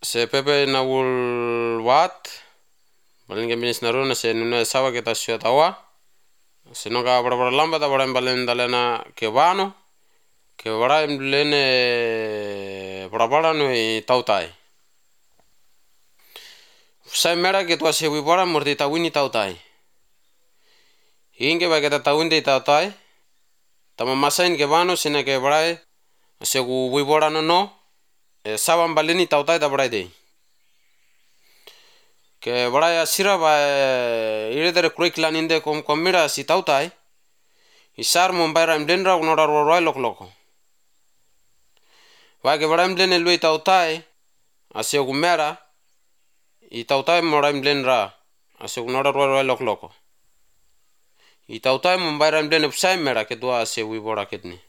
se pepe na ul wat balen ke binis naruna se nuna sawa kita sio tawa se no ka bora lamba ta bora balen dalena ke vano ke bora lene bora no tautai sai mera ke to se wi bora morti ta wini tautai inge ba ke ta tawinde tautai tama masain ke vano sine ke bora se wi bora no sawa baleni tautai ta bora dei ke bora ya sira ba ire der curriculum inde kom mira si tautai isar mombaira mdenra unora roi lok wa ke bora mdene lui tautai ase gumera I tautai mora mdenra ase unora roi lok I tautai mombaira mdene psai mera ke dua ase wi bora ketni